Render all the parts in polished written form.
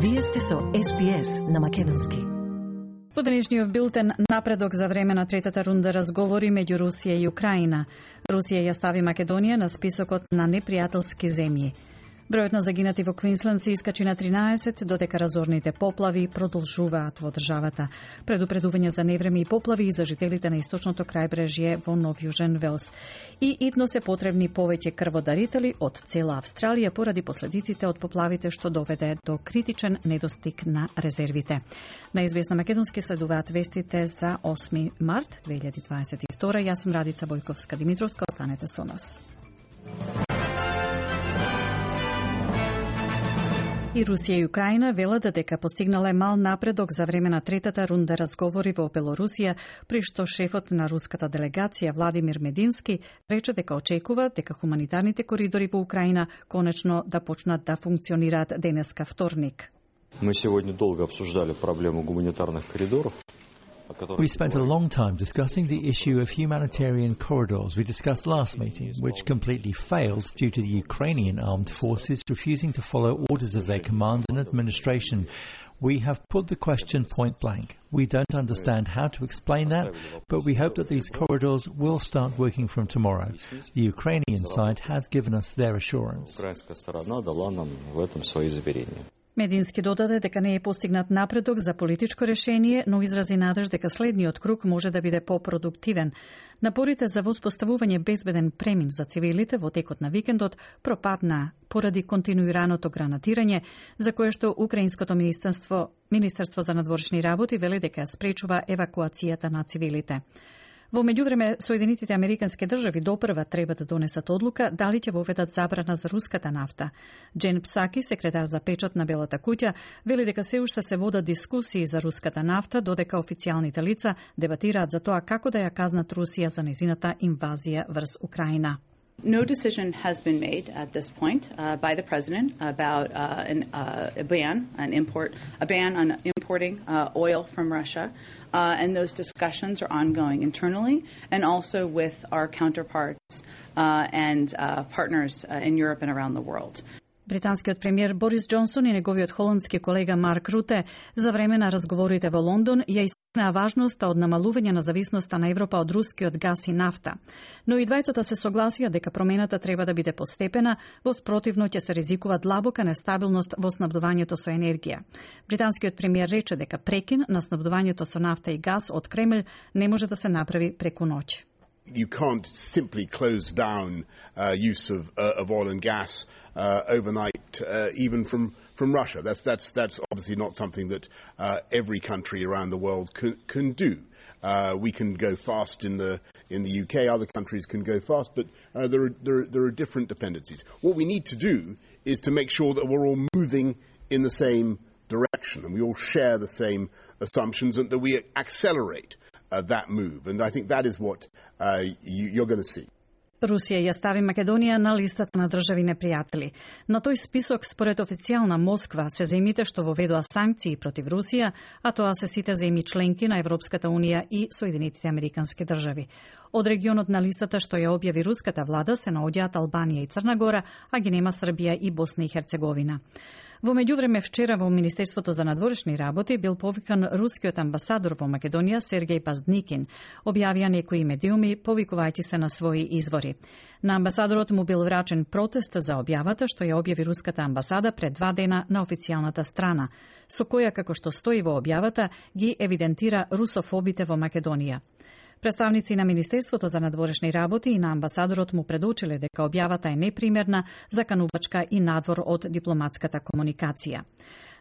Вие сте со SPS на македонски. Во денешниот билтен напредок за време на третата рунда разговори меѓу Русија и Украина. Русија ја стави Македонија на списокот на непријателски земји. Бројот на загинати во Квинсленд се искачи на 13, додека разорните поплави продолжуваат во државата. Предупредување за невреме и поплави и за жителите на источното крајбрежје во Нов Јужен Велс. И итно се потребни повеќе крводарители од цела Австралија поради последиците од поплавите што доведе до критичен недостиг на резервите. На SBS на македонски следуваат вестите за 8 март 2022. Јас сум Радица Бојковска-Димитровска, останете со нас. И Русија и Украина велат дека постигнале мал напредок за време на третата рунда разговори во Белорусија, при што шефот на руската делегација Владимир Медински рече дека очекува дека хуманитарните коридори во Украина конечно да почнат да функционираат денеска вторник. Мы сегодня долго обсуждали проблему гуманитарных коридоров. We spent a long time discussing the issue of humanitarian corridors we discussed last meeting, which completely failed due to the Ukrainian armed forces refusing to follow orders of their command and administration. We have put the question point blank. We don't understand how to explain that, but we hope that these corridors will start working from tomorrow. The Ukrainian side has given us their assurance. Медински додаде дека не е постигнат напредок за политичко решение, но изрази надеж дека следниот круг може да биде попродуктивен. Напорите за воспоставување безбеден премин за цивилите во текот на викендот пропадна поради континуираното гранатирање, за кое што Украинското Министерство за надворешни работи вели дека спречува евакуацијата на цивилите. Во меѓувреме, Соединетите Американски држави допрва треба да донесат одлука дали ќе воведат забрана за руската нафта. Джен Псаки, секретар за печат на Белата куќа, вели дека се уште се водат дискусии за руската нафта, додека официјалните лица дебатираат за тоа како да ја казнат Русија за незината инвазија врз Украина. No decision has been made at this point by the president about a ban on importing oil from Russia, and those discussions are ongoing internally and also with our counterparts and partners in Europe and around the world. Британскиот премиер Борис Џонсон и неговиот холандски колега Марк Руте за време на разговорите во Лондон ја истакнаа важноста од намалување на зависноста на Европа од рускиот газ и нафта. Но и двајцата се согласија дека промената треба да биде постепена, во спротивно ќе се ризикува длабока нестабилност во снабдувањето со енергија. Британскиот премиер рече дека прекин на снабдувањето со нафта и газ од Кремљ не може да се направи преку ноќ. You can't simply close down use of oil and gas overnight, even from Russia. That's obviously not something that every country around the world can do. We can go fast in the UK. Other countries can go fast, but there are different dependencies. What we need to do is to make sure that we're all moving in the same direction and we all share the same assumptions and that we accelerate that move. And I think that is what you're going to see. Русија ја стави Македонија на листата на држави непријатели. На тој список, според официјална Москва, се земјите што воведоа санкции против Русија, а тоа се сите земји членки на Европската Унија и Соединетите Американски држави. Од регионот на листата што ја објави руската влада се наоѓаат Албанија и Црна Гора, а ги нема Србија и Босна и Херцеговина. Во меѓувреме вчера во Министерството за надворешни работи бил повикан рускиот амбасадор во Македонија Сергеј Паздникин, објавија некои медиуми повикувајќи се на своји извори. На амбасадорот му бил врачен протест за објавата што ја објави руската амбасада пред 2 дена на официјалната страна, со која, како што стои во објавата, ги евидентира русофобите во Македонија. Представници на Министерството за надворешни работи и на амбасадорот му предочиле дека објавата е непримерна, заканувачка и надвор од дипломатската комуникација.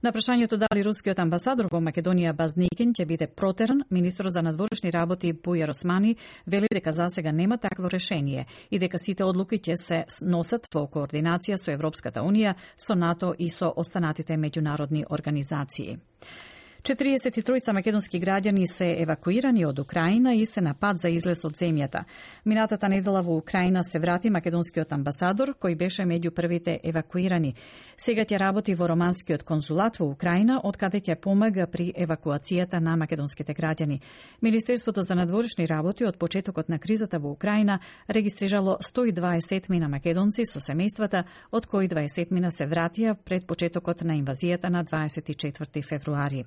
На прашањето дали рускиот амбасадор во Македонија Баздникин ќе биде протеран, министерот за надворешни работи Бујар Османи вели дека засега нема такво решение и дека сите одлуки ќе се носат во координација со Европската Унија, со НАТО и со останатите меѓународни организации. 43 македонски граѓани се евакуирани од Украина и се на пат за излез од земјата. Минатата недела во Украина се врати македонскиот амбасадор, кој беше меѓу првите евакуирани. Сега ќе работи во романскиот конзулат во Украина, откаде ќе помага при евакуацијата на македонските граѓани. Министерството за надворешни работи од почетокот на кризата во Украина регистрирало 120 мина македонци со семејствата, од кои 20 мина се вратија пред почетокот на инвазијата на 24 февруари.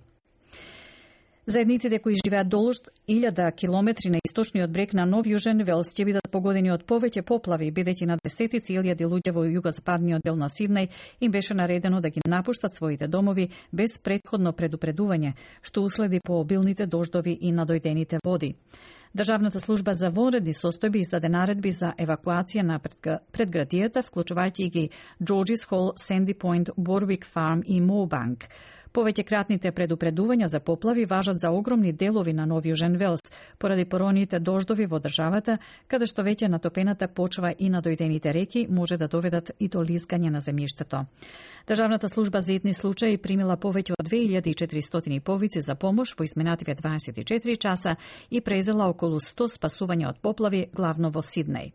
Заедниците кои живеат долж 1000 километри на источниот брег на Нов Јужен Велс ќе бидат погодени од повеќе поплави, бидејќи на десетици илјади луѓе во југозападниот дел на Сиднеј им беше наредено да ги напуштат своите домови без претходно предупредување, што уследи по обилните дождови и надојдените води. Државната служба за вонредни состојби издаде наредби за евакуација на предградијата, вклучувајќи ги Джорджис Хол, Сенди Пойнт, Борвик Фарм и Моубанк. Повеќекратните предупредувања за поплави важат за огромни делови на Нов Јужен Велс, поради пороните дождови во државата, каде што веќе натопената почва и надојдените реки може да доведат и до лизгање на земјиштето. Државната служба за итни случаи примила повеќе од 2400 повици за помош во изминативе 24 часа и презела околу 100 спасувања од поплави, главно во Сиднеј.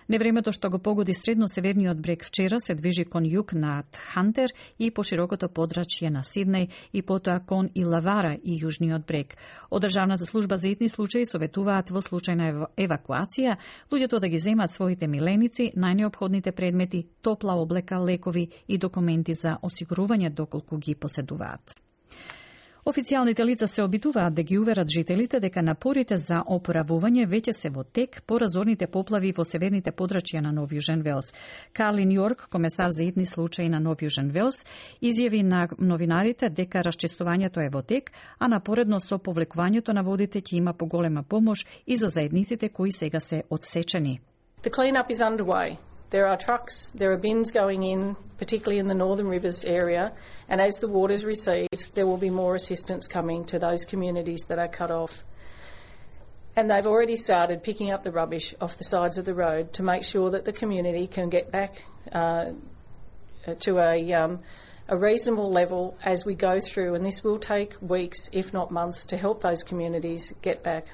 Невремето што го погоди средно-северниот брег вчера се движи кон југ над Хантер и по широкото подрачје на Сиднеј и потоа кон Илавара и јужниот брег. Од Државната служба за итни случаи советуваат во случај на евакуација луѓето да ги земат своите миленици, најнеопходните предмети, топла облека, лекови и документи за осигурување доколку ги поседуваат. Официјалните лица се обидуваат да ги уверат жителите дека напорите за опоравување веќе се во тек по разорните поплави во северните подрачја на Нов Јужен Велс. Карлин Јорк, комесар за итни случаи на Нов Јужен Велс, изјави на новинарите дека расчистувањето е во тек, а напоредно со повлекувањето на водите ќе има поголема помош и за заедниците кои сега се одсечени. The clean-up is underway. There are trucks, there are bins going in, particularly in the Northern Rivers area, and as the waters recede, there will be more assistance coming to those communities that are cut off. And they've already started picking up the rubbish off the sides of the road to make sure that the community can get back to a reasonable level as we go through, and this will take weeks, if not months, to help those communities get back.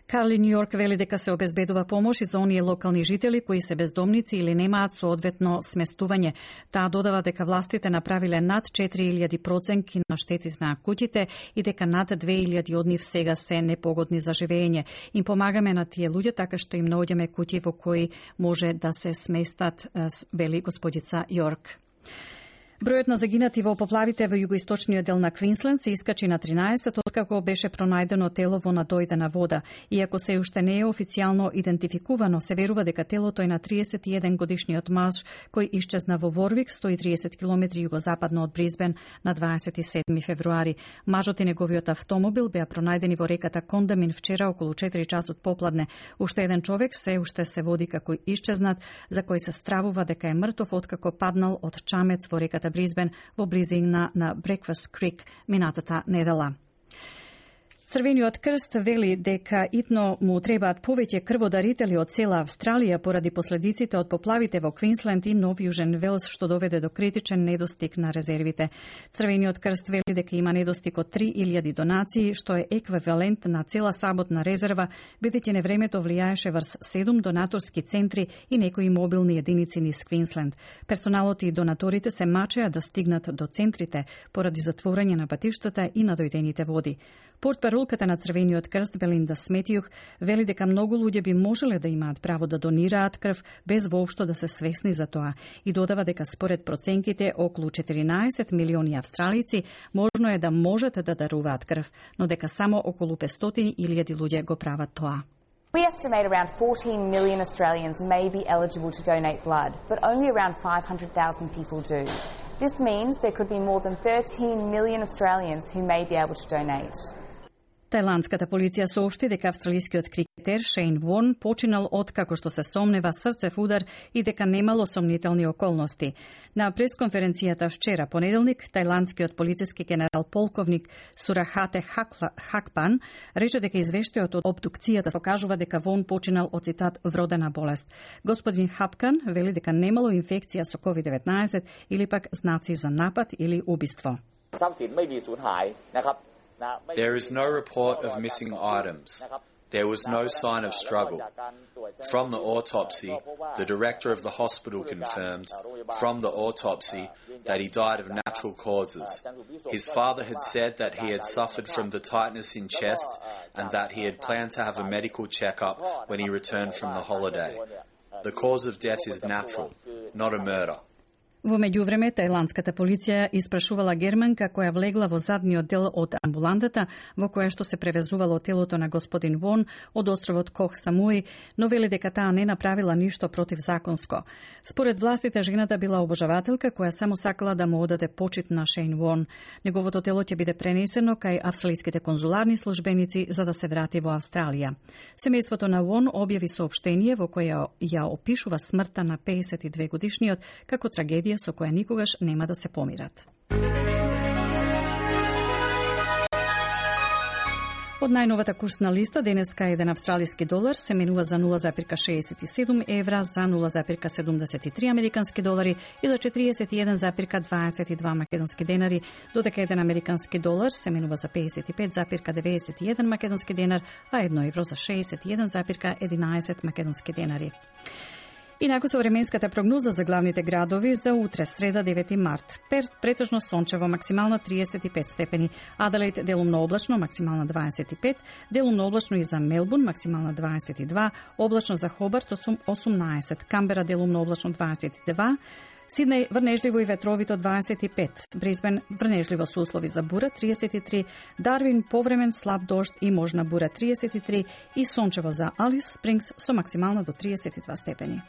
Карлин Јорк вели дека се обезбедува помош и за оние локални жители кои се бездомници или немаат соодветно сместување. Таа додава дека властите направиле над 4000 проценки на штетите на куќите и дека над 2000 од нив сега се непогодни за живење. Им помагаме на тие луѓе така што им наоѓаме куќи во кои може да се сместат, вели господица Јорк. Бројот на загинати во поплавите во југоисточниот дел на Квинсленд се искачи на 13 откако беше пронајдено тело во надојдена вода. Иако се уште не е официјално идентификувано, се верува дека телото е на 31 годишниот маж кој исчезна во Ворвик, 130 км југозападно од Брисбен на 27 февруари. Мажот и неговиот автомобил беа пронајдени во реката Кондамин вчера околу 4 часот попладне. Уште еден човек се уште се води како исчезнат, за кој се стравува дека е мртов откако паднал од чамец во реката Брисбен во близина на Breakfast Creek минатата недела. Црвениот крст вели дека итно му требаат повеќе крводарители од цела Австралија поради последиците од поплавите во Квинсленд и Нов Јужен Велс, што доведе до критичен недостиг на резервите. Црвениот крст вели дека има недостиг од 3000 донации, што е еквивалент на цела саботна резерва, бидејќи невремето влијаеше врз 7 донаторски центри и некои мобилни единици низ Квинсленд. Персоналот и донаторите се мачеа да стигнат до центрите поради затворање на патиштата и надојдените води. Портпаролката на Црвениот крст Белинда Сметијух вели дека многу луѓе би можеле да имаат право да донираат крв без воопшто да се свесни за тоа и додава дека според проценките околу 14 милиони австралици можно е да можат да даруваат крв, но дека само околу 500,000 луѓе го прават тоа. We estimate around 14 million Australians may be eligible to donate blood, but only around 500,000 people do. This means there could be more than 13 million Australians who may be able to donate. Тајландската полиција соопшти дека австралискиот крикетер Шейн Ворн починал откако што се сомнева срцев удар и дека немало сомнителни околности. На пресконференцијата вчера, понеделник, тајландскиот полициски генерал полковник Сурахате Хакпан рече дека извештајот од обдукцијата покажува дека Ворн починал од цитат вродена болест. Господин Хапкан вели дека немало инфекција со COVID-19 или пак знаци за напад или убиство. There is no report of missing items. There was no sign of struggle. From the autopsy, the director of the hospital confirmed from the autopsy that he died of natural causes. His father had said that he had suffered from the tightness in chest and that he had planned to have a medical checkup when he returned from the holiday. The cause of death is natural, not a murder. Во меѓувреме, тајландската полиција испрашувала германка која влегла во задниот дел од амбулантата во која што се превезувало телото на господин Вон од островот Кох Самуи, но вели дека таа не направила ништо противзаконско. Според властите, жената била обожавателка која само сакала да му одаде почит на Шейн Вон. Неговото тело ќе биде пренесено кај австралиските конзуларни службеници за да се врати во Австралија. Семејството на Вон објави соопштение во кое ја опишува смртта на 52 годишниот како трагедија со која никогаш нема да се помират. Од најновата курсна листа, денеска еден австралиски долар се менува за 0,67 евра, за 0,73 американски долари и за 41,22 македонски денари, додека еден американски долар се менува за 55,91 македонски денар, а 1 евро за 61,11 македонски денари. Инаку со временската прогноза за главните градови за утре, среда 9 март. Перт претежно сончево, максимална 35 степени. Аделаид делумно облачно, максимална 25. Делумно облачно и за Мелбурн, максимална 22. Облачно за Хобарт, 18. Камбера делумно облачно 22. Сиднеј врнежливо и ветровито 25. Брисбен врнежливо со услови за бура 33. Дарвин повремен слаб дожд и можна бура 33. И сончево за Алис Спрингс со максимална до 32 степени.